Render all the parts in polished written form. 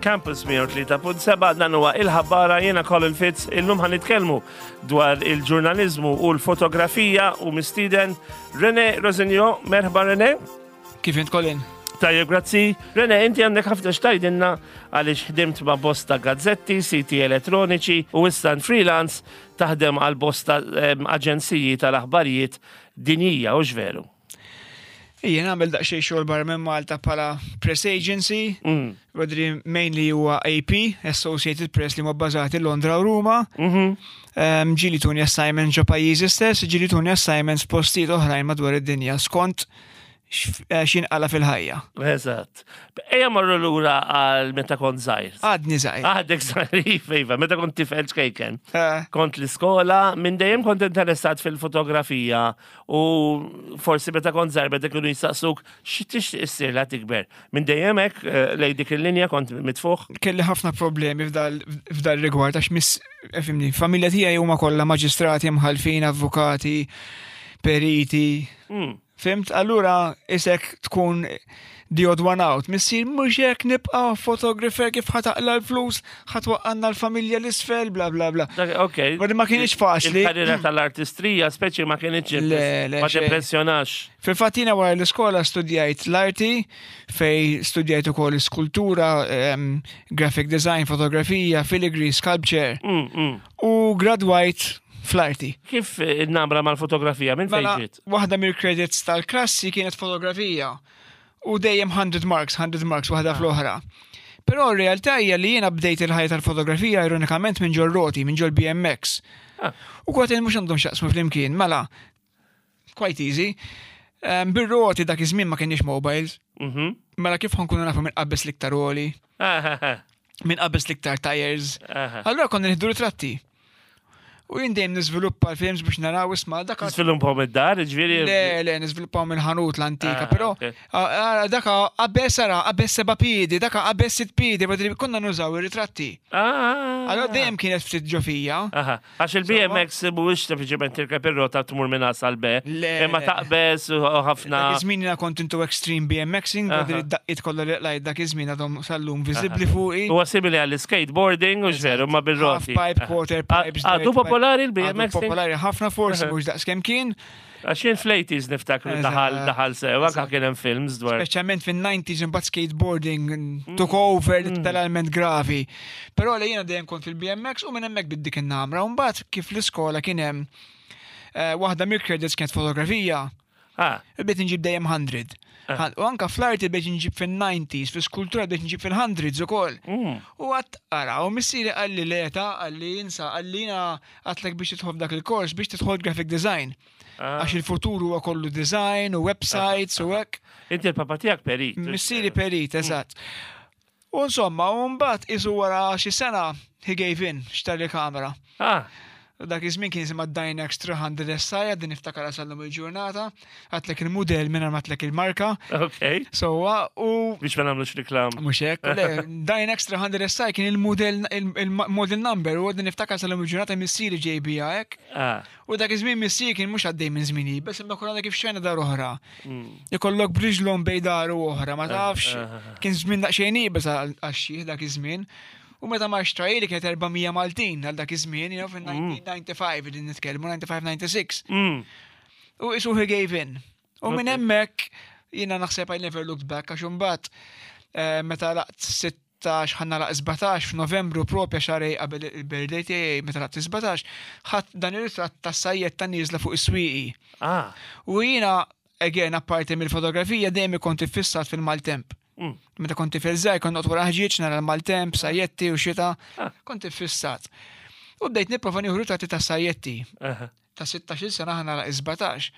Campus 103.7 dan huwa il-ħabbara jiena Colin Fitz illum ħan nitkellmu dwar il-ġurnaliżmu u l-fotografija u mistieden Rene Rosenio. Merħba Rene. Kif int Colin? Tajjeb, grazzi. Rene, inti għandek ħafna xtajdinna għaliex ħdimt ma' bosta gazzetti, siti elettroniċi u issa freelance taħdem għal bosta aġenziji tal-aħbarijiet dinjija, u veru? Ija nagħmel daqsxejn xogħol barra minn Malta bħala press agency, Rodri mainly huwa AP, Associated Press li huma bbażati Londra u Ruma. Ġieli tuni assignment ġo pajjiżi stess, ġieli tuni assignments postijiet oħrajn madwar id-dinja skont x'inqala fil-ħajja. Eżatt. Ejja marru lura għal meta kont żgħir. Għadni żgħir. Għadek żgħir, iva, iva, meta kont tifel ċkejken. Kont l-iskola, minn dejjem kont interessat fil-fotografija u forsi meta kont żgħir meta kienu jistaqsuk xi tixtieq issir la tikber. Minn dejjem hekk lejn dik il-linja kont mitfuħ. Kelli ħafna problemi f'dal rigward għax miss, fimni, familja tiegħi huma kollha maġistrati, mħallfin, avukati, periti. Fimt? Allura isek tkun the odd one out. Missier mhux hekk nibqa' photographer kif ħa taqla' l-flus, ħa twaqqalna l-familja l-isfel, bla bla bla. Ok. Ma ma kienx faċli. Il-karriera tal-artistrija speċi ma kienx Le, le, ma xejn. timpressjonax. Fil-fatt jiena wara l-iskola studjajt l-arti fej studjajt ukoll skultura, graphic design, fotografija, filigree, sculpture. U gradwajt fl-arti. Kif in-namra mal-fotografija minn fejn Mela, ġiet? waħda mill-credits tal-klassi kienet fotografija u dejjem 100 marks, 100 marks waħda fl-oħra. Però r-realtà hija li jiena bdejt il-ħajja tal-fotografija ironikament minn ġol roti, minn ġol BMX. U kważi mhux għandhom x'jaqsmu flimkien, mela quite easy. Bir-roti dak iż-żmien ma kienx mobiles. Mela kif ħankunu nafu minn qabeż l-iktar għoli? Minn qabeż l-iktar tires. Allura konna nieħdu ritratti. U jien dejjem niżviluppa l-films biex naraw isma' dak Niżviluppaw mid-dar, ġifieri? Le, le, niżviluppaw mill-ħanut l-antika, però daka qabeż ara, qabeż seba' piedi, daka qabeż sitt piedi, badri konna nużaw ir-ritratti. Allura dejjem kienet ftit ġo fija. Għax il-BMX mhuwiex sempliċement tirkeb ir-rota tmur minn A sal B, Le, imma le. taqbeż u ħafna. Dak iż-żmien jiena kont into extreme BMXing, badri id-daqqiet kollha li qlajt dak iż-żmien għadhom sal-lum viżibbli fuqi. Huwa simili għall-skateboarding u x'veru ma bir-roti. Half pipe, quarter pipes. Għadu dirt pipe. popolari l-BMXing? Għadu popolari ħafna forsi mhux daqs kemm kien. Għax jien fl-80s niftakru daħal daħal sew, anke kien hemm films dwar. Speċjalment fin-90s imbagħad skateboarding took over literalment gravi. Però li jiena dejjem kont fil-BMX u minn hemmhekk bdiet dik in-namra. U mbagħad kif l-iskola kien hemm waħda mill-credits kienet fotografija. Bdejt inġib dejjem 100. U anka fl-arti bdejt inġib fin-90s, fl-iskultura bdejt inġib fil-hundreds ukoll. U għat ara, u missieri qalli le ta, qalli insa, qalli jiena għatlek biex tidħol f'dak il-kors biex tidħol graphic design. Għax il-futur huwa kollu design u websites u hekk. Inti l-papa tiegħek perit. Missieri perit, eżatt. U insomma, u mbagħad isu wara xi sena he gave in, xtara kamera. U dak iż-żmien kien jisimha Dynax 300 SI, għadni niftakar sal-lum il-ġurnata, għatlek il-mudell mingħajr ma għatlek il-marka. Sewwa, u Biex ma nagħmlux reklam. Mhux hekk, le, Dynax 300 SI kien il-mudell il-model number u għadni niftakar sal-lum il-ġurnata missieri ġej bija hekk. U dak iż-żmien missieri kien mhux għaddej minn żmien iebes, imma konna kif xejna dar oħra. Ikollok bridge loan bej dar u oħra, ma tafx. Kien żmien daqsxejn iebes għax-xieħ dak iż-żmien. U meta ma xtrajli kienet 400 Maltin għal dak iż-żmien, you know, fin-1995 qegħdin nitkellmu, 95-96. U isu he gave in. U minn hemmhekk jiena naħseb I never looked back għax imbagħad meta laqt 16 ħa nagħlaq 17 f'Novembru propja xahrejn qabel il-birthday tiegħi meta laqt 17, ħadd dan ir-ritratt ta' sajjetta nieżla fuq is-swieqi. U jiena again apparti mill-fotografija dejjem kont iffissat fil-maltemp. Meta kont tifel żgħir kont noqgħod wara ħġieġ nara l-maltemp, sajjetti u xita, kont iffissat. U bdejt nipprova nieħu ritratti ta' sajjetti. Ta' 16 sena ħa nagħlaq 17.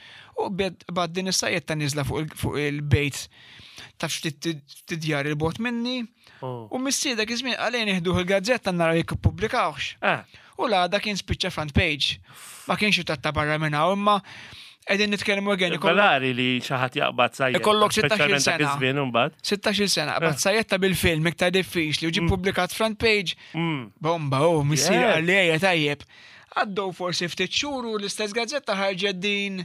U bad din is-sajjetta nieżla fuq il-bejt ta' ftit djar il-bogħod minni. U missieri dak iż-żmien qalli nieħduh il-gazzetta naraw jekk ippubblikawhx. U l-għada kien spiċċa front page. Ma kienx ritratt ta' barra minn hawn, imma qegħdin nitkellmu again. Rari li xi ħadd jaqbad sajjetta. Ikollok 16 speċjalment dak sena. iż-żmien imbagħad. 16 sena, qabad sajjetta bil-film iktar diffiċli u ġie ppubblikat front page. Bomba, oh, missieri qalli ejja tajjeb. Għaddew forsi ftit xhur u l-istess gazzetta ħarġet din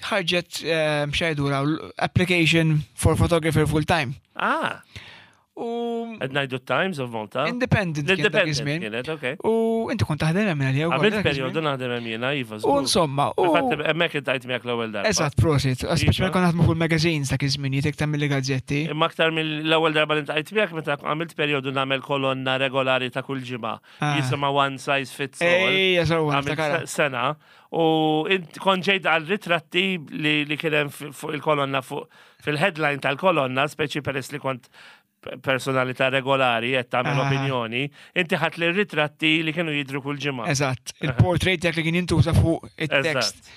ħarġet x'għidula application for photographer full time. U Qed ngħidu Times of Malta. Independent kien dak iż-żmien. Kienet, okej. U inti kont taħdem hemm għalija wkoll. Għamilt perjodu naħdem hemm jiena, iva. U insomma, u. Fatt hemmhekk intajt miegħek l-ewwel darba. Eżatt, prosit. Speċi meta kont naħdmu fuq il-magazines dak iż-żmien, jitek tagħmel gazzetti. Imma aktar mill-ewwel darba li ntajt miegħek meta għamilt perjodu nagħmel kolonna regolari ta' kull ġimgħa. Ah. Jisimha One Size Fits All. Ejja, sewwa, Sena. U kont ġejt għal ritratti li kien hemm fuq il-kolonna fuq fil-headline tal-kolonna, speċi peress li kont personalità regolari qed tagħmel ah. opinjoni, inti ħadd li ritratti li kienu jidru kull ġimgħa. Eżatt, il-portrait dak li kien jintuża fuq it-text.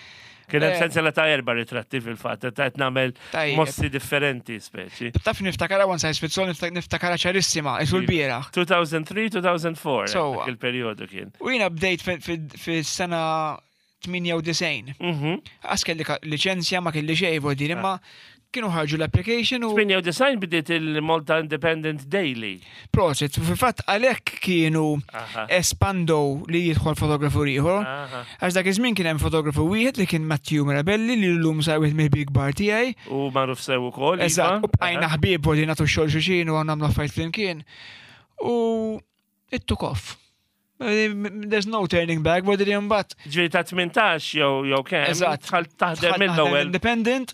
Kien hemm eh. sensiela ta' erba' ritratti fil-fatt, ta' qed nagħmel mossi differenti speċi. Taf niftakara one size fits all niftakara ċarissima, isu l-bieraħ. 2003-2004 il-perjodu kien. U jiena bdejt fis-sena 98. Mhm. Għas kelli liċenzja ma kelli xejn voldin imma ah. kienu ħarġu l-application u. 98 bdiet il-Malta Independent Daily. Prosit, fil-fatt għalhekk kienu espando li jidħol fotografu ieħor. Għax dak iż-żmien kien hemm fotografu wieħed li kien Matthew Mirabelli li llum sar wieħed mill-big bar tiegħi. U magħruf sew ukoll. Iva. Eżatt, u bqajna ħbieb u li nagħtu xogħol xulxin u nagħmlu affarijiet flimkien. U it took off. There's no turning back, but li mbagħad. Ġifieri ta' 18 jew jew kemm. Eżatt. Dħalt taħdem mill-ewwel. Independent.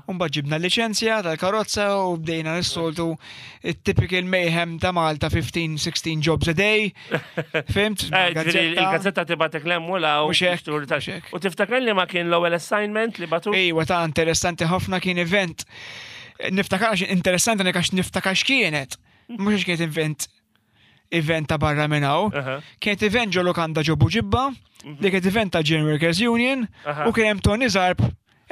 U mbagħad ġibna liċenzja tal-karozza u bdejna nissoltu it-typical mayhem ta' Malta 15-16 jobs a day. Fimt? Eh, il-gazzetta tibatek l u law. U tiftakar li ma kien l-ewwel assignment li batu? Ejwa ta' interessanti ħafna kien event. Niftakar interessanti għax niftakar x'kienet. Mhux għax kienet event event ta' barra minn hawn. Kienet event ġo lokanda ġo Buġibba, mhm. li kienet event ta' General Workers Union, u kien hemm Tony Zarb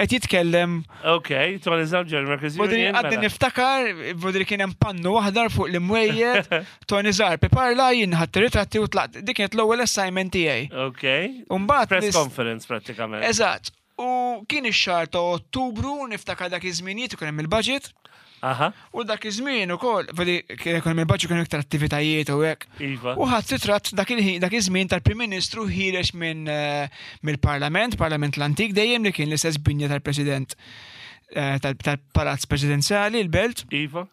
qed jitkellem. Ok, Tony Zarb General Workers Union. Għaddi mela. niftakar, vodri kien hemm pannu aħdar fuq l-imwejjed, Tony Zarb iparla jien ħadd ritratti u tlaqt. Dik kienet l-ewwel assignment tiegħi. Ok. Umbagħad press conference prattikament. Eżatt. U kien ix-xahar ta' Ottubru, niftakar dak iż-żminijiet ikun hemm il-budget. Aha. U dak iż-żmien ukoll, vedi kien ikun hemm il-budget kien iktar attivitajiet u hekk. Iva. U ħadd ritratt dak il-ħin dak iż-żmien tal-Prim Ministru ħiereġ minn eh, mill-Parlament, Parlament l-antik dejjem li kien l-istess binja tal-President eh, tal-Palazz Presidenzjali, l-Belt. Iva.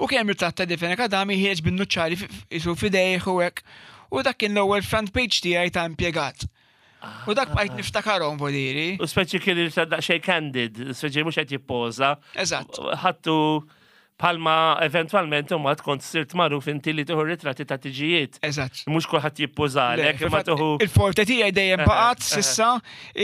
U kien hemm ritratt ta' Defene Kadami ħiereġ bin-nuċċali isu f'idejh u hekk. U dak kien l-ewwel front page tiegħi ta' impjegat. U dak bqajt niftakarhom voliri. U speċi kien il daqsxejn candid, speċi mhux qed jippoża. Eżatt. Ħattu palma eventualment imma tkun sirt magħruf inti li tieħu ritratti ta' tiġijiet. Eżatt. Mhux kulħadd jippożalek, imma tieħu. Il-forte tiegħi dejjem baqgħet sissa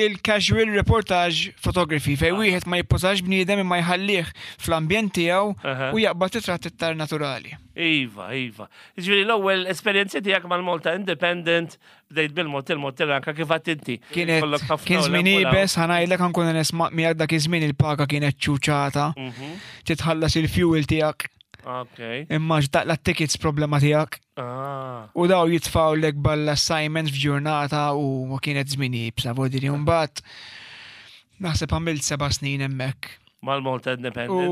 il-casual reportage photography fejn ah. wieħed ma jippożax bniedem imma jħallih fl-ambjent tiegħu u jaqbad ritratt iktar naturali. Iva, iva. Ġifieri l-ewwel esperjenzi tiegħek mal-Malta Independent Bdejt bil-mod il-mod tirranka kif għadt inti. Kienet kien żmien iebes, ħanajlek ħankun nisma' miegħek dak iż-żmien il-paga kienet ċuċata. Mhm. Titħallas il-fuel tiegħek. Ok. Imma x'daqla tickets problema tiegħek. Ah. U daw jitfaw lek balla assignments f'ġurnata u ma kienet żmien iebsa, vodiri mbagħad naħseb għamilt seba' snin hemmhekk. Mal-Malta Independent.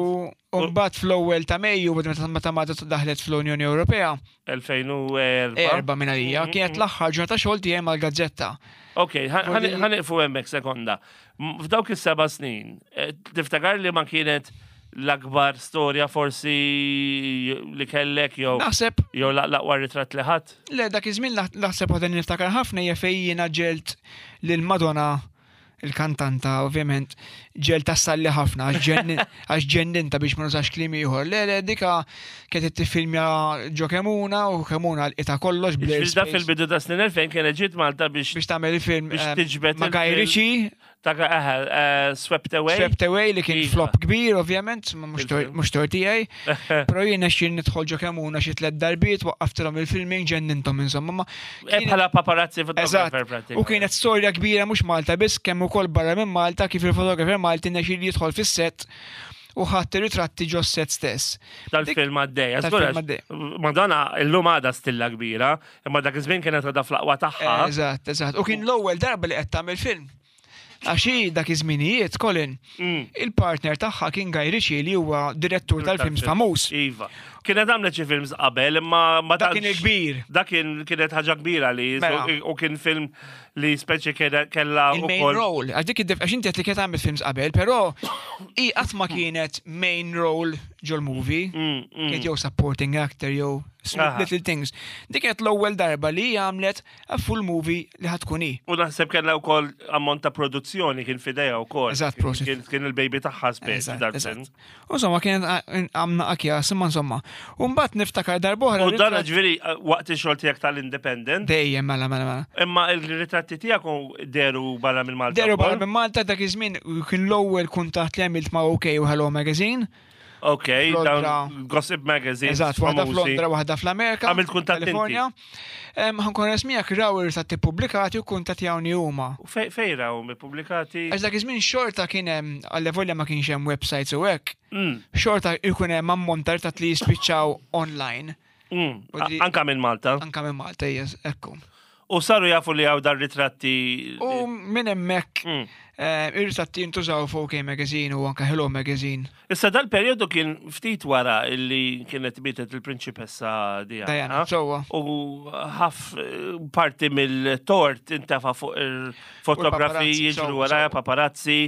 U mbagħad fl-ewwel ta' Mejju meta Malta daħlet fl-Unjoni Ewropea. 2004. Erba minn għalija, mm-hmm. kienet l-aħħar ġurnata xogħol tiegħi mal-gazzetta. Ok, ħaniqfu hemmhekk sekonda. F'dawk is-seba' snin, eh, tiftakar li ma kienet l-akbar storja forsi li kellek jew Naħseb jew l-aqwa ritratt li ħadd? Le dak iż-żmien naħseb waħda niftakar ħafna hija fejn jiena ġelt lil Madonna il-kantanta ovvjament ġel tassalli ħafna għax ġenninta biex ma nużax kliem ieħor. Le le dika kienet tiffilmja ġo Kemuna u Kemuna l-qita kollox bl Da fil-bidu ta' snin 2000 kienet ġiet Malta biex biex tagħmel il-film biex eh, tiġbed ma' Guy Ritchie Ta' eh, Swept Away. Swept Away li kien iva. flop kbir, ovvjament, mhux tort tiegħi. Però jien nexxin nidħol ġo Kemuna xi tliet darbiet, waqqaftilhom il-filming, ġenninthom insomma. Eh, bħala paparazzi photographer pratikament. U kienet storja kbira mhux Malta biss kemm ukoll barra minn Malta kif il-fotografer Malti nexxi li jidħol fis-set u ħadd ritratti ġo set stess. Tal-film għaddej. Madonna illum għadha stilla kbira, imma dak iż-żmien kienet għadha fl-aqwa tagħha. Eżatt, eżatt. U kien l-ewwel darba li qed tagħmel film. Għax hi dak iż-żminijiet, Colin, mm. il-partner tagħha kien Guy Ritchie li huwa direttur tal-films famuż. Iva. Kienet għamlet xi films qabel, imma ma Dak kien il-kbir. Dak kien kienet ħaġa kbira li Mela. u kien film li speċi kella Il-main ukoll. role, għax dik id-dif, għax inti qed li kienet għamlet films qabel, però i qatt ma kienet main role ġol-movie. Kienet jew supporting actor jew little things. Dik kienet l-ewwel darba li hi għamlet a full movie li ħa tkun hi. U naħseb kellha wkoll ammont ta' produzzjoni kien f'idejha wkoll. Eżatt, prosit. Kien il-baby tagħha speċi Eżatt, dal-film. eżatt. U insomma kienet għamna akjas, imma insomma. U mbagħad niftakar darb'oħra. U dan ritratt- ġifieri waqt ix-xogħol tiegħek tal-Independent, Dejjem mela mela mela. imma il-ritratti tiegħek deru barra minn Malta. Deru barra wkoll? minn Malta dak iż-żmien kien l-ewwel kuntatt li għamilt ma' OK u Hello Magazine. Ok, Londra. dawn Gossip Magazine. Eżatt, waħda f'Londra, waħda fl-Amerika. Għamilt kuntatt inti. Kalifornja. Ħankun resmijak raw ir-ritratti pubblikati u kuntattjawni huma. U Fej raw ippubblikati? Għax dak iż-żmien xorta kien hemm għall-evolja ma kienx hemm websites u hekk. Xorta jkun hemm ammont ta' ritratti li jispiċċaw online. U di- Anka minn Malta. Anka minn Malta, yes, ekku. U saru jafu li hawn dar ritratti. U minn hemmhekk ir-ritratti jintużaw fuq OK Magazine u anka Hello Magazine. Issa dal-perjodu kien ftit wara illi kienet mietet il-prinċipessa Diana. Diana, sewwa. U ħaf parti mill-tort intefa fuq il-fotografi paparazzi, jiġru sewwa, waraja sewwa. paparazzi.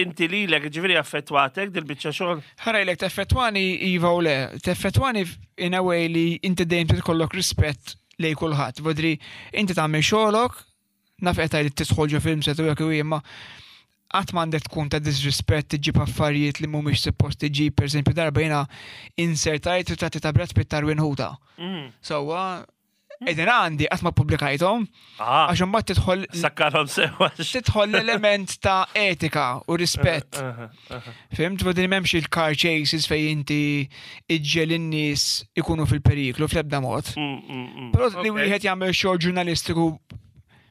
Inti lilek ġifieri affettwatek dil-biċċa xogħol? Ħarajlek teffettwani iva u le, teffettwani in a way li inti dejjem trid ikollok rispett lej kulħadd. Vodri inti tagħmel xogħolok, naf qed li tidħol ġo film set u hekk u imma qatt m'għandek tkun ta' disrispett tiġib affarijiet li mhumiex suppost tiġib, pereżempju darba jiena insertajt ritratti ta' Brad Pitt tarwin ħuta. Sewwa, qegħdin għandi qatt ma ppubblikajthom Ah, għax imbagħad tidħol sakkarhom sewa. tidħol l-element ta' etika u rispett. Fimt, vodri m'hemmx il-car chases fej inti iġġel in-nies ikunu fil-periklu fl-ebda mod. Però li wieħed jagħmel xogħol ġurnalistiku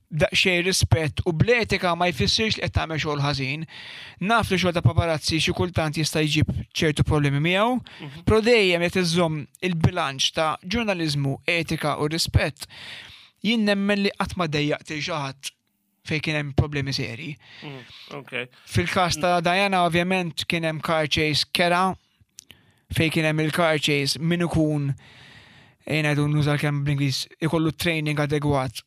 daqsxejn rispett u bl-etika ma jfissirx li qed tagħmel xogħol ħażin. Naf li xogħol ta' paparazzi xi kultant jista' jġib ċertu problemi miegħu, però dejjem qed iżomm il-bilanċ ta' ġurnaliżmu, etika u rispett. Jien nemmen li qatt ma dejjaqt lil xi ħadd fejn kien hemm problemi seri. Ok. Fil-każ ta' Diana ovvjament kien hemm car chase kera fejn kien hemm il-car chase min ikun ejna jdu nuża l-kelma bl-Ingliż ikollu training adegwat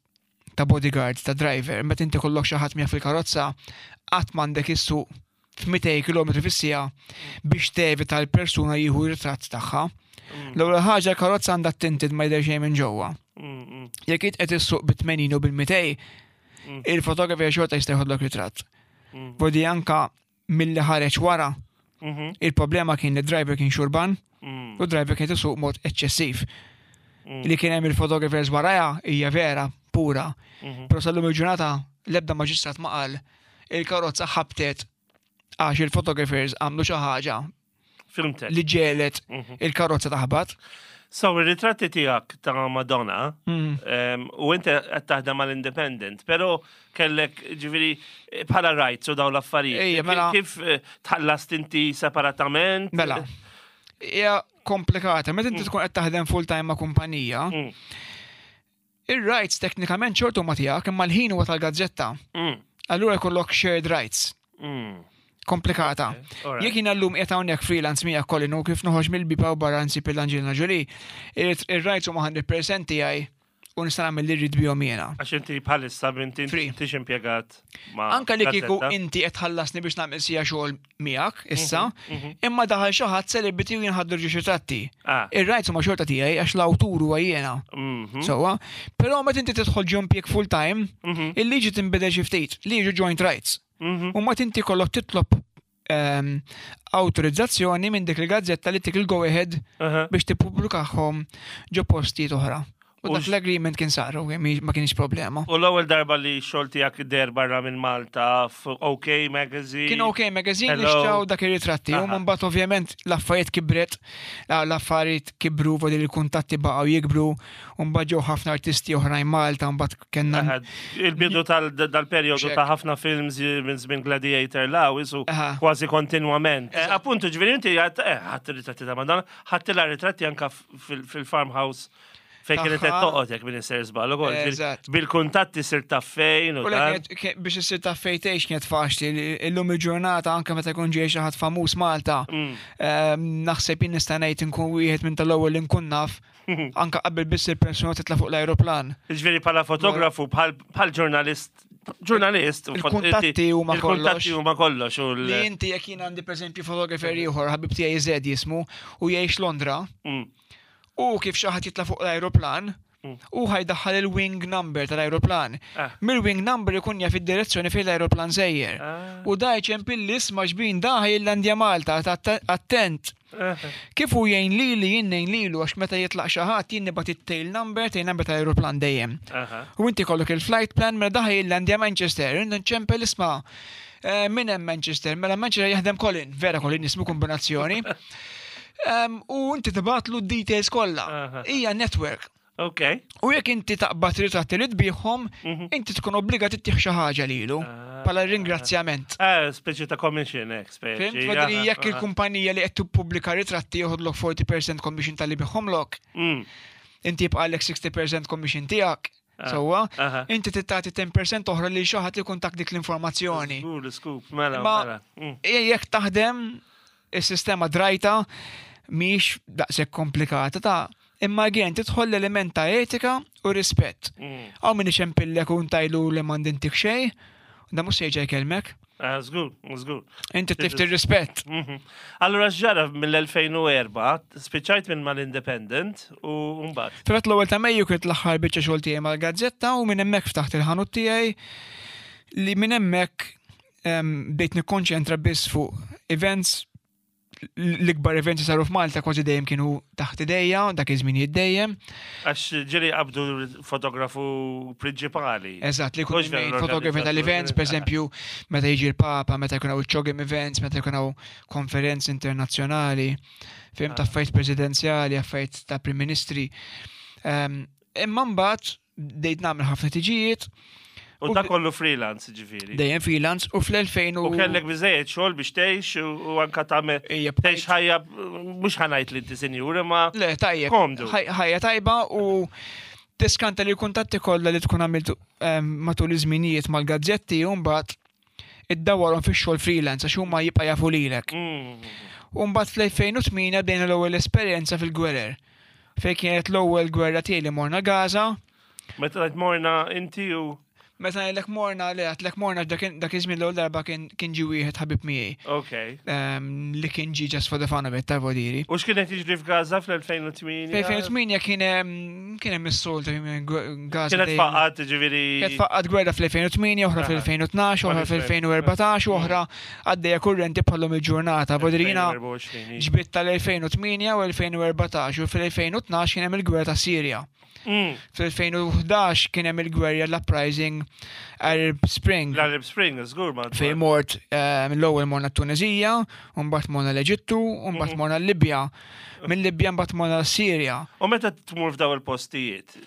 ta' bodyguard, ta' driver, meta inti kollok xi ħadd miegħek fil-karozza, qatt m'għandek issuq f'200 km fis-siegħa biex tevita l-persuna jieħu ritratt tagħha. L-ewwel ħaġa l-karozza għandha tinted ma jidher xejn minn ġewwa. Jekk int qed issuq bit-80 u bil-200, il-fotografer xorta jista' jħodlok ritratt. Vodi anka milli ħareġ wara, il-problema kien li driver kien xurban u driver kien isuq mod eċċessiv. Li kien hemm il-photographers warajha hija vera, pura. Però sal-lum il-ġurnata l-ebda maġistrat ma qal il-karozza ħabtet għax il-photographers għamlu xi ħaġa Filmtek. li ġelet il-karozza taħbat. So, il-ritratti tiegħek ta' Madonna, u inti qed taħdem mal-Independent, però kellek ġifieri bħala rights u dawn l-affarijiet. Ejja, mela. Kif tħallast inti separatament? Mela. Hija komplikata. Meta inti tkun qed taħdem full time ma' kumpanija, ir-rights teknikament xorta huma tiegħek imma l-ħin huwa tal-gazzetta. Allura jkollok shared rights. Komplikata. alright. Jekk jiena llum qiegħed hawnhekk freelance miegħek Colin u kif noħroġ mill-biba u barra nsib il-Angelina Jolie, ir-rights huma 100% tiegħi u nista' nagħmel li rrid bihom jiena. Għax inti bħalissa inti Free. tix impjegat ma' Anka li kieku gazzetta. inti qed tħallasni biex nagħmel sija xogħol miegħek issa, imma daħal xi ħadd celebrity u jinħaddu ġiex ritratti. Ir-rights huma xorta tiegħi għax l-awtur huwa jiena. Sewwa, però meta inti tidħol ġo impjieg full time, il-liġi tinbidel xi ftit, li jiġu joint rights. U mbagħad inti kollok titlob awtorizzazzjoni minn dik il-gazzetta li tik il-go ahead biex tippubblikahom ġo postijiet oħra. U dak l-agreement kien sar, u ma kienx problema. U l-ewwel darba li xogħol tiegħek der barra minn Malta f'OK Magazine. Kien OK Magazine li Hello. xtraw dak ir-ritratti. U mbagħad ovvjament l-affarijiet kibret, l-affarijiet kibru, vodi li l-kuntatti baqgħu jikbru, u mbagħad ġew ħafna artisti oħrajn Malta, mbagħad kellna Il-bidu tal-perjodu ta' ħafna films minn żmien Gladiator law isu kważi kontinwament. Appuntu ġifieri inti ħadd ritratti ta' Madonna, ħadd ritratti anka fil-farmhouse Fejn kienet qed toqgħod jekk minn isser żball ukoll. Bil-kuntatti sir taf fejn u Biex issir taf fejn tgħix kienet faċli. Illum il-ġurnata anke meta jkun ġej xi ħadd famuż Malta. Mm. Ehm, naħseb jien nista' ngħid inkun wieħed minn tal-ewwel li nkun naf anka qabel biss il-persuna titla' fuq l-ajruplan. Ġifieri bħala fotografu bħal ġurnalist ġurnalist il-kuntatti huma kollox. Il-kuntatti huma kollox. Li inti jekk jien għandi pereżempju fotografer ieħor ħabib tiegħi Zed jismu u jgħix Londra. Mm. U kif xi ħadd jitla' fuq l-ajruplan, mm. u ħajdaħħal il-wing number tal-ajruplan. Ah. Mill-wing number ikun jaf id-direzzjoni fejn l-ajruplan sejjer. Ah. U da jċempil l-isma ġbin da ħajillandja Malta, attent. Ah. Kif u jgħin lili jien ngħin lilu għax meta jitlaq xi ħadd jien nibgħat it-tail number, tail number tal-ajruplan dejjem. U inti kollok il-flight plan mela daħ jillandja Manchester, nċempel isma' eh, minn hemm Manchester, mela Manchester jaħdem Colin, vera Colin jismu kombinazzjoni. U inti tibgħatlu d-details kollha. Hija network. Ok. U jekk inti taqbad ritratti li tbieħhom, mhm. inti tkun obbligat ittieħ xi ħaġa lilu ah. bħala ringrazzjament. Eh, speċi ta' commission, eh, speċi. Fhimt, jekk il-kumpanija li qed tippubblika ritratti joħodlok 40% commission tal-li biħomlok, mm. inti jibqalek 60% commission tiegħek. Ah, Sewwa, inti tagħti 10% oħra li xi ħadd ikun tak dik l-informazzjoni. Mela, mela. Mm. Jekk taħdem is-sistema drajta mhix daqshekk komplikata ta' imma again tidħol l-element ta' etika u rispett. Mm. Hawn min iċempillek u ntajlu li m'għandintik xejn, da mhux se jerġa' jkellmek. Ah, żgur, żgur. Inti tlift ir-rispett. Mhm. Allura x'ġara mill-2004, spiċċajt minn mal-Independent u mbagħad. Fil-fatt l-ewwel ta' Mejju kienet l-aħħar biċċa xogħol tiegħi mal-gazzetta u minn hemmhekk ftaħt il-ħanut tiegħi li minn hemmhekk bdejt nikkonċentra biss fuq events l-ikbar events li saru f'Malta kważi dejjem kienu taħt idejja, dak iż-żminijiet dejjem. Għax ġieli qabdu fotografu prinċipali. Eżatt, li jkun fotografi tal-events, per eżempju, meta jiġi l-Papa, meta jkun hawn iċ-CHOGM events, meta jkun hawn konferenzi internazzjonali, fim ta' ah. affarijiet presidenzjali, affarijiet ta' prim ministri. Ehm, imma mbagħad bdejt nagħmel ħafna tiġijiet. U da kollu freelance ġifieri. Dejjem freelance u fl-2000 u. kellek biżejjed xogħol biex tgħix u anka tagħmel tgħix ħajja mhux ħanajt li inti sinjur imma. Le tajjeb. Komdu. Ħajja tajba u tiskanta li l-kuntatti kollha li tkun għamilt ehm, matul iż-żminijiet mal-gazzetti u mbagħad iddawwarhom fix-xogħol freelance għax huma jibqa' jafu lilek. Mm. U mbagħad fl-2008 bdejna l-ewwel esperjenza fil-gwerer. Fejn kienet l-ewwel gwerra tiegħi li morna Gaza. Meta ngħid morna inti u Meta ngħidlek morna le għedtlek morna dak iż-żmien l-ewwel darba kien ġie wieħed ħabib miegħi. Ok. Ehm, li kien ġie just for the fun of it, ta' vodiri. U x'kien qed jiġri f'Gaza fl-2008? Fl-2008 kien hemm kien hemm is-soltu Gaza. Kienet faqqat ġifieri. Kienet faqqat gwerra fl-2008, oħra fl-2012, oħra fl-2014, oħra għaddejja kurrenti bħallum il-ġurnata. Vodiri jiena ġbit tal-2008 u 2014 u fl-2012 kien hemm il-gwerra ta' Sirja. Mm. Fl-2011 kien hemm il-gwerja l-uprising Arab Spring. L-Arab Spring, żgur ma. Fejn mort eh, l-ewwel morna t-Tunezija, u mbagħad morna l-Eġittu, u mbagħad mhm. morna l-Libja. Mill-Libja mbagħad morna l-Sirja. U meta tmur f'daw il-postijiet,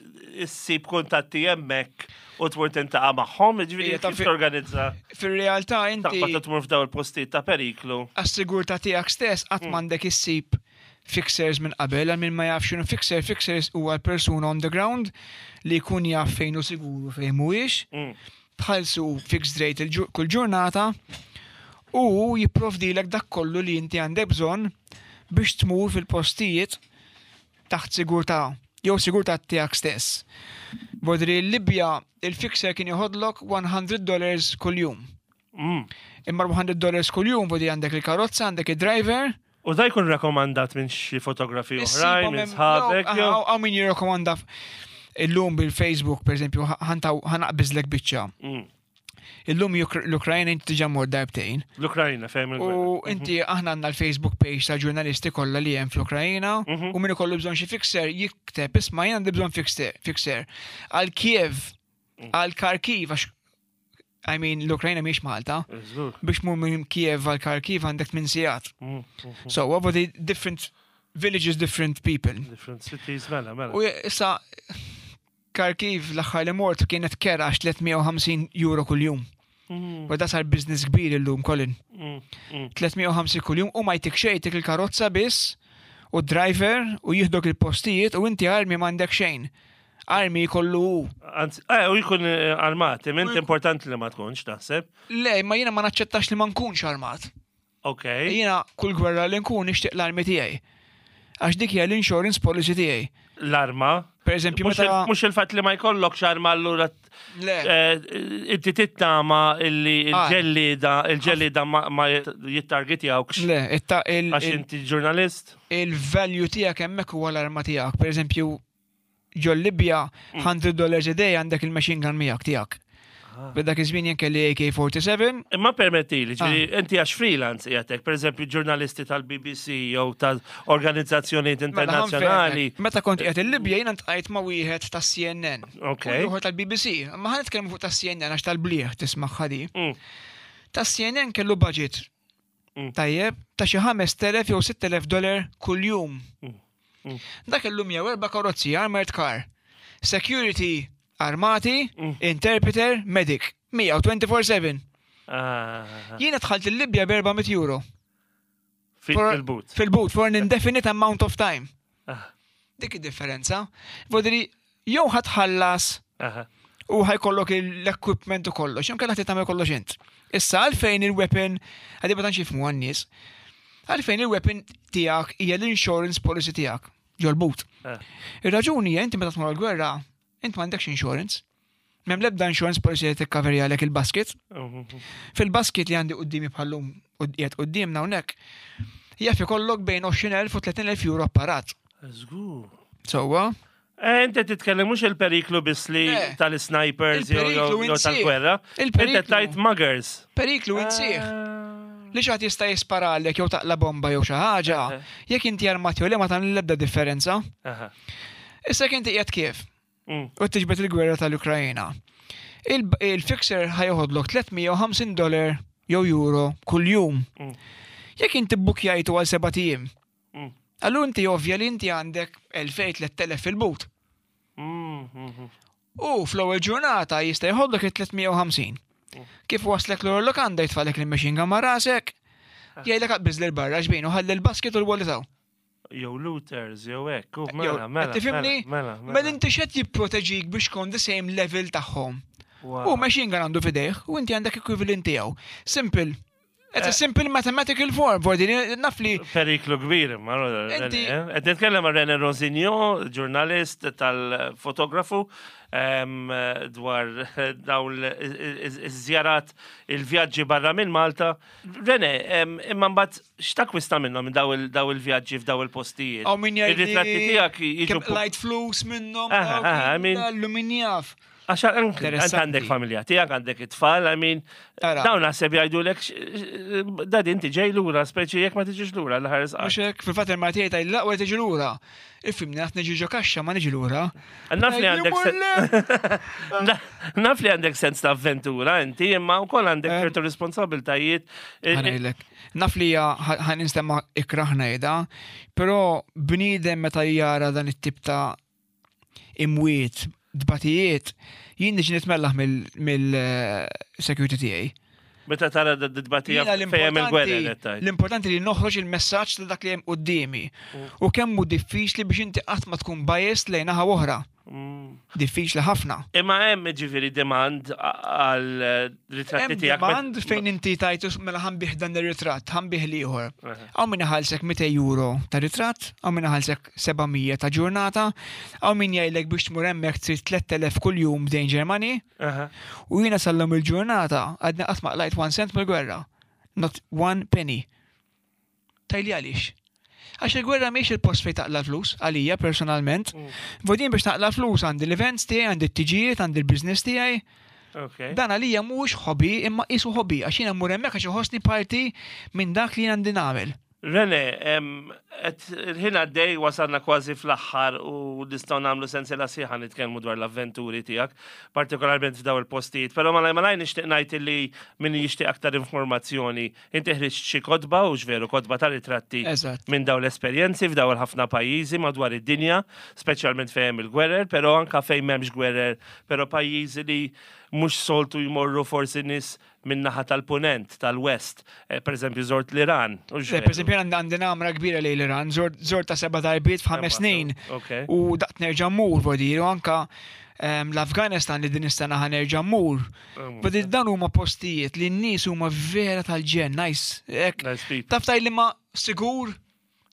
issib kuntatti hemmhekk u tmur tintaqa' magħhom, jiġifieri kif torganizza? Fir-realtà inti. Taqbad tmur f'daw il-postijiet ta' periklu. Għas-sigurtà tiegħek stess qatt mm. m'għandek issib fixers minn qabel, għal min ma jafx x'inhu fixer, fixers huwa l-persuna on the ground li jkun jaf fejn hu sigur u fejn mhuwiex, mm. tħallsu fixed rate kull ġurnata u jipprovdilek dak kollu li inti għandek bżonn biex tmur fil-postijiet taħt sigurtà jew sigurtà tiegħek stess. Bodri l-Libja il-fixer kien joħodlok 100 dollars kuljum. Mm. Imma 100 dollars kuljum vodi għandek il-karozza, għandek il-driver. U da jkun rakomandat minn xi fotografi oħrajn, minn sħabek. Għaw min jirrakomanda illum bil-Facebook, per eżempju, ħanaqbiżlek biċċa. Mm. Illum l-Ukrajna inti diġà mort darbtejn. L-Ukrajna fejn U inti aħna għandna l-Facebook page ta' ġurnalisti kollha li hemm fl-Ukrajna mhm. u min ikollu bżonn xi fixer jikteb isma' jien għandi bżonn fixer. Għal Kiev, mm. għal Kharkiv għax I mean, l-Ukrajna miex Malta. Biex mur minn Kiev għal Kharkiv għandek minn sigħat. Mm, mm, mm. So, what the different villages, different people. Different cities, mela, mela. U issa, Kharkiv l-aħħar li mort kienet kera għax 350 euro kuljum. Mm. U da sar business kbir illum, Colin. 350 mm, mm. kuljum u ma jtik xejn, jtik il-karozza biss. U driver u jieħdok il-postijiet u inti armi m'għandek xejn. Armi jkollu hu. Anzi, eh, u jkun eh, armat, imma importanti li ma tkunx naħseb. Le, ma jiena ma naċċettax li ma nkunx armat. Ok. Jiena kull gwerra li nkun nixtieq l-armi tiegħi. Għax dik hija l-insurance policy tiegħi. L-arma? Per eżempju, meta. Mhux il-fatt li ma jkollokx arma allura Le. Eh, inti tittama illi Ah. il-ġellida, il-ġellida ma jittargetjawkx. Le, Għax inti ġurnalist. Il-value tiegħek hemmhekk huwa l-arma tiegħek. Per eżempju, ġol Libja, 100 dollars a day għandek il-machine gun miegħek tiegħek. Ah. B'dak iż-żmien jien kelli AK-47. Imma permetti li, ġifieri Ah. inti għax freelance qiegħdek, pereżempju ġurnalisti tal-BBC jew tal-organizzazzjonijiet Mela, internazzjonali. Meta kont qiegħed il-Libja jiena ntqajt ma' wieħed tas-CNN. Ok. U ieħor tal-BBC. Ma ħa nitkellmu fuq tas-CNN għax tal-bliħ tisma' ħadi. Tas-CNN kellu budget. Tajjeb, ta' xi 5000 jew 6000 dollar kuljum. Dak illum jew erba' karozzi, armored car, security armati, interpreter, medic, 124/7. Ah. Jiena dħalt il-Libja b'400 euro. Fil-boot. Fil-boot, for an indefinite amount of time. Ah. Dik id-differenza. Vodri, jew ħatħallas u ħajkollok l-equipment u kollox, jew kellha tagħmel kollox int. Issa għalfejn il-weapon, għadi ma tantx jifhmu għan-nies, għalfejn il-weapon tiegħek hija l-insurance policy tiegħek ġol-but. Eh. Ir-raġuni hija inti meta tmur għall-gwerra, int m'għandekx insurance. M'hemm l-ebda insurance policy li tikkaverjalek il-basket. Fil-basket li għandi qudiemi bħallum qiegħed quddiemna hawnhekk, jaf ikollok bejn 20,000 u 30,000 euro apparat. Żgur. Sewwa? Eh, inti titkellem mhux il-periklu biss li Le. tal-snipers jew Il-periklu jew insih. tal-gwerra. Il-periklu. Inti tajt muggers. Periklu insih. Li xi ħadd jista' jisparalek jew taqla bomba jew xi ħaġa, jekk inti armat jew le ma tagħmel l-ebda differenza. Aha. Issa jekk inti qiegħed kif Mm. u tiġbed il-gwerra tal-Ukrajina. Il-fixer ħajoħodlok 350 dollar jew euro kuljum. Jekk inti bbukjajtu għal seba' ijiem. Allura inti ovvja li inti għandek 2000-3000 fil-but. Mm, U fl-ewwel ġurnata jista' jħoddok il-350. Kif waslek l lokanda jitfalek il-machine gun ma' rasek, jgħidlek aqbiż lil barra xbin u ħalli l-basket u l-wallet hawn. Jew looters, jew hekk, u Jew, mela, mela. qed tifhimni? Mela, mela. Mela inti x'qed jipproteġik biex tkun the same level tagħhom. Wow. U machine gun għandu fidejh u inti għandek equivalent tiegħu. Simple. It's a simple mathematical form, vordi, naf li Periklu kbir, ma Inti- Qed nitkellem ma' René Rosignon, ġurnalist tal-fotografu, em, dwar dawn iż-żjarat il-vjaġġi barra minn Malta. René, em, imma mbagħad x'takwista minnhom minn daw il- daw il-vjaġġi f'daw il-postijiet? Għaw min jgħidli Ir-ritratti tiegħek jiġu kemm qlajt flus minnhom, Aha, dawk aha, I mean- l min jaf. Għax anke int Interessanti. għandek familja tiegħek, għandek it-tfal, I mean, Ara. dawn naħseb jgħidulek dad inti ġej lura, speċi jekk ma tiġix lura l-ħares Mhux hekk, fil-fatt il-Maltija tgħid l-aqwa tiġi lura. Ifhimni qed niġi ġo kaxxa ma niġi lura. Naf li għandek sen. Naf li għandek sens ta' avventura inti, imma wkoll għandek ċertu responsabiltajiet. Ħanejlek. Naf li hija ħan instemma ikrah ngħidha, però bniedem meta jara dan it-tip ta' imwiet, dbatijiet, jien niġi nitmellaħ mill-security tiegħi. Meta tara d-dbatija Jiena fejn il-gwerra l-importanti qed tgħid. l-importanti li noħroġ il-messaġġ ta' dak li hemm quddiemi. U kemm hu diffiċli biex inti qatt ma tkun biased lejn naħa oħra. Diffiċli ħafna. Imma hemm ġifieri demand għal ritratti Hemm tiegħek. demand fejn inti tajtu mela ħanbih dan ir-ritratt, ħanbih l-ieħor. Hawn min iħallsek 200 euro ta' ritratt, hawn min iħallsek 700 ta' ġurnata, hawn min jgħidlek biex tmur hemmhekk trid 3000 kuljum danger money. Aha. U jiena sallum il-ġurnata għadni qatt ma qlajt one cent mill-gwerra. Not one penny. Tajli għaliex. Għax il-gwerra mhix il-post fejn taqla flus, għalija personalment. Vodin biex taqla flus għandi l-events tiegħi, għandi t-tiġijiet, għandi l-business tiegħi. Ok. Dan għalija mhux hobby, imma qisu hobby, għax jiena mmur hemmhekk għax iħossni parti minn dak li jien għandi nagħmel. Rene, em, qed il-ħin għaddej wasalna kważi fl-aħħar u nistgħu nagħmlu sensiela sħiħa nitkellmu dwar l-avventuri tiegħek, partikolarment f'daw il-postijiet. Però malaj malaj nixtieq ngħid li min jixtieq aktar informazzjoni, inti ħriġt xi kotba u veru kotba ta' ritratti Eżatt. minn daw l-esperjenzi f'daw il-ħafna pajjiżi madwar id-dinja, speċjalment fejn hemm il-gwerer, però anka fejn m'hemmx gwerer, però pajjiżi li mhux soltu jmorru forsi nies min-naħa tal-punent, tal-west, eh, per eżempju żort l-Iran. u Le, x'veru. per eżempju, eżempju, għandi namra kbira lejn l-Iran, żort ta' seba' darbiet f'ħames snin. U daqt nerġa' mmur, vodir, u anka l-Afganistan li din is-sena ħa nerġa' mmur. Vodir dan huma postijiet li n-nies huma vera tal-ġenn, nice. Taf tgħid li ma sigur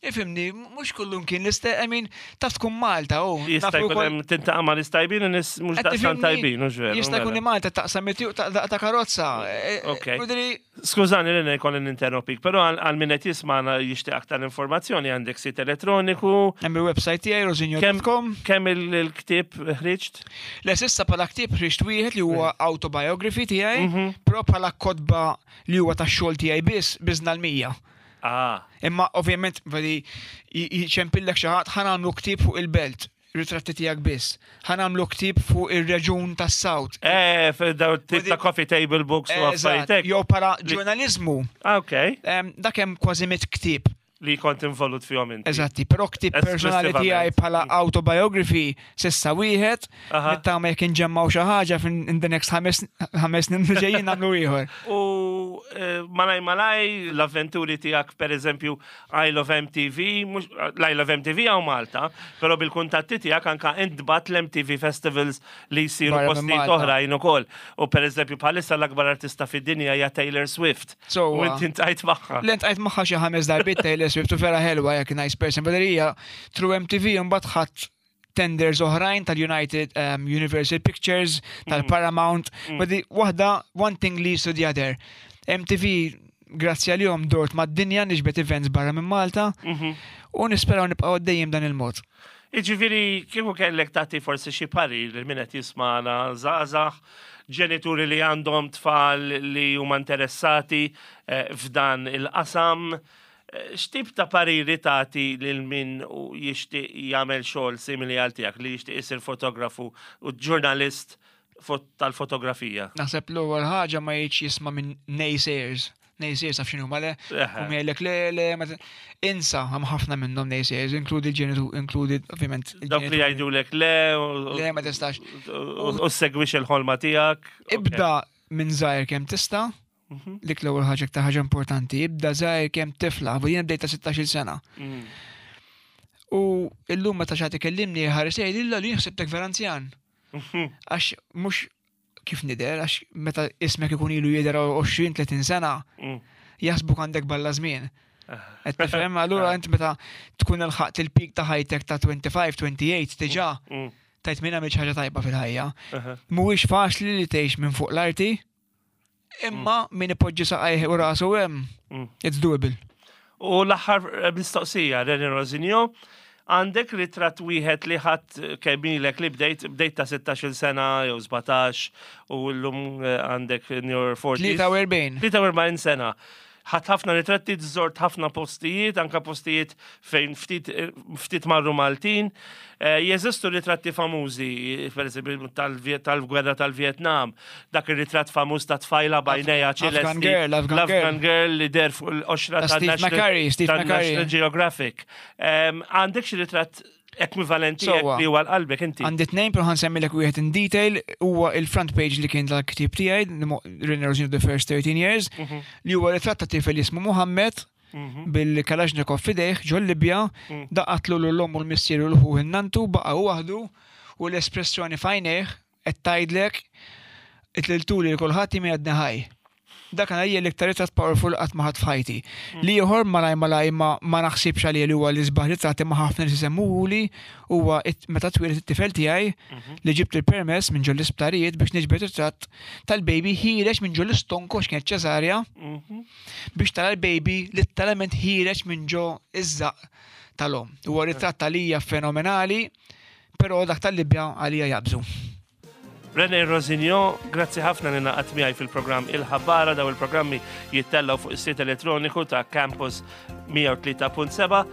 Ifhimni, mhux kullum kien l-istess, I mean, taf tkun Malta, u. Jista' jkun hemm tintaqa' ma' nies tajbin u nies mhux daqstant tajbin, hux veru. Jista' jkun li Malta taqsam it-tieq ta' karozza. E, e, ok. Skużani li jkolli ninterrompik, però għal min qed jismagħna jixtieq aktar informazzjoni għandek sit elettroniku. Hemm il-website tiegħi rosinjo.com. Kemm il-ktieb ħriġt? Le s'issa bħala ktieb ħriġt wieħed li huwa autobiography tiegħi, mhm. però bħala kotba li huwa tax-xogħol tiegħi biss biżna l-100. Ah. Imma ovvjament veri jċempillek xi ħadd ħa nagħmlu ktieb fuq il-belt, ritratti tiegħek biss. Ħa nagħmlu ktieb fuq ir-reġun tas-South. Eh, daw tip ta' coffee table books u affarijiet. Jew para ġurnaliżmu. Ah, ok. Dak hemm kważi mit ktieb. Li kont involut fihom inti. Eżatti, però ktieb personali tiegħi bħala autobiography Sissa wieħed, nittama jekk inġemmaw xi ħaġa in the next ħames snin li ġejjin nagħmlu ieħor. U eh, malaj malaj l-avventuri tiegħek pereżempju I Love MTV, l-I Love MTV hawn Malta, però bil-kuntatti tiegħek anka intbat l-MTV Festivals li jsiru postijiet oħrajn ukoll. U pereżempju bħalissa l-akbar artista fid-dinja hija Taylor Swift. U inti ntqajt magħha. L-intqajt magħha xi ħames darbiet Taylor Swift u vera ħelwa jekk nice person, però hija true MTV mbagħad ħadd tenders oħrajn tal-United um, Universal Pictures, mm. tal-Paramount, mm. waħda one thing leads to the other. MTV grazzi għalihom dort mad-dinja niġbed events barra minn Malta mhm. u nisperaw nibqgħu għaddejjin dan il-mod. Iġifieri kieku kellek tagħti forsi xi parir li min qed jismana żgħażagħ, ġenituri li għandhom tfal li huma interessati eh, f'dan il-qasam, X'tip ta' pariri tagħti lil min jixtieq jagħmel xogħol simili għal tiegħek, li jixtieq isir fotografu u ġurnalist tal-fotografija? Naħseb l-ewwel ħaġa ma jgħidx jisma' minn naysayers. Naysayers taf x'inhuma le? U jgħidlek le le insa hemm ħafna minnhom naysayers, inkludi l-ġenitu, inkludi ovvjament. Dawk li jgħidulek le Le ma tistax. U segwix il-ħolma tiegħek. Ibda minn żgħir kemm tista' Mhm. Dik l-ewwel ħaġa iktar ħaġa importanti, ibda żgħir kemm tifla, u jien bdejt ta' 16-il sena. Mm. U illum meta xi ikellimni ħares jgħid illa li ħsibtek vera anzjan. Mhm. Għax mhux kif nidher, għax meta ismek ikun ilu jidher 20-30 sena, mm. jaħsbuk għandek balla żmien. Qed tifhem, allura int meta tkun ilħaqt il-peak ta' ħajtek ta' 25, 28 diġà mm. tajt minn għamil ħaġa tajba fil-ħajja. Mhuwiex faċli li tgħix minn fuq l-arti, Imma mm. min ipoġġi saqajh u rasu hemm, mm. it's doable. U l-aħħar eh, mistoqsija, René Rosinio, għandek ritratt wieħed li ħadd eh, kemm ilek li bdejt bdejt ta' 16 sena jew 17 u llum eh, għandek in your 40s. 43. 43 sena. Ħadd ħafna ritratti, żort ħafna postijiet, anka postijiet fejn ftit, ftit marru Maltin. Eh, jeżistu ritratti famużi, per eżempju, tal-gwerra tal-Vietnam, dak ir-ritratt famuż ta' tfajla bajnejha ċelesti. Afghan Girl, Afghan Girl li der fuq l-qoxra ta' Steve McCurry, Steve McCurry. Geographic. Għandek xi ritratt ekwivalenti li huwa l-qalbek inti. Għandi tnejn però ħansemmilek wieħed in detail huwa il-front page li kien tal-ktieb tiegħi René Rosino the First 13 Years mhm. li huwa ritratt ta' tifel jismu Muhammed mhm. bil-Kalashnikov fidejh ġol Libja mm. daqatlu l-omm u l-missier u l-ħuħ in-nantu baqa' waħdu u l-espressjoni f'għajnejh Qed tgħidlek, Itliltuli lil kulħadd jien għadni ħaj. Dak għalija l-iktar ritratt powerful qatt ma ħadt f'ħajti. L-ieħor malaj malaj ma ma naħsibx għalija li huwa l-isbaħ ritratt imma ħafna nies isemmuhuli huwa meta twieled it-tifel tiegħi li ġibt il-permess minn ġol-isptarijiet biex niġbed ritratt tal-baby ħiereġ minn ġol-istonku għax kienet ċesarja biex tara l-baby litteralment ħiereġ minn ġo iż-żaqq tal-omm. Huwa ritratt għalija fenomenali. Però dak tal-Libja għalija jaqbżu. René Rosignon, grazzi ħafna li naqat miegħi fil-programm Il-Ħabbara daw il-programmi jittellgħu fuq is-sit elettroniku ta' Campus 103.7.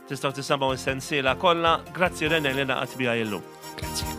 Tistgħu tisimgħu s-sensiela kollha. Grazzi René li naqat miegħi illum. Grazzi.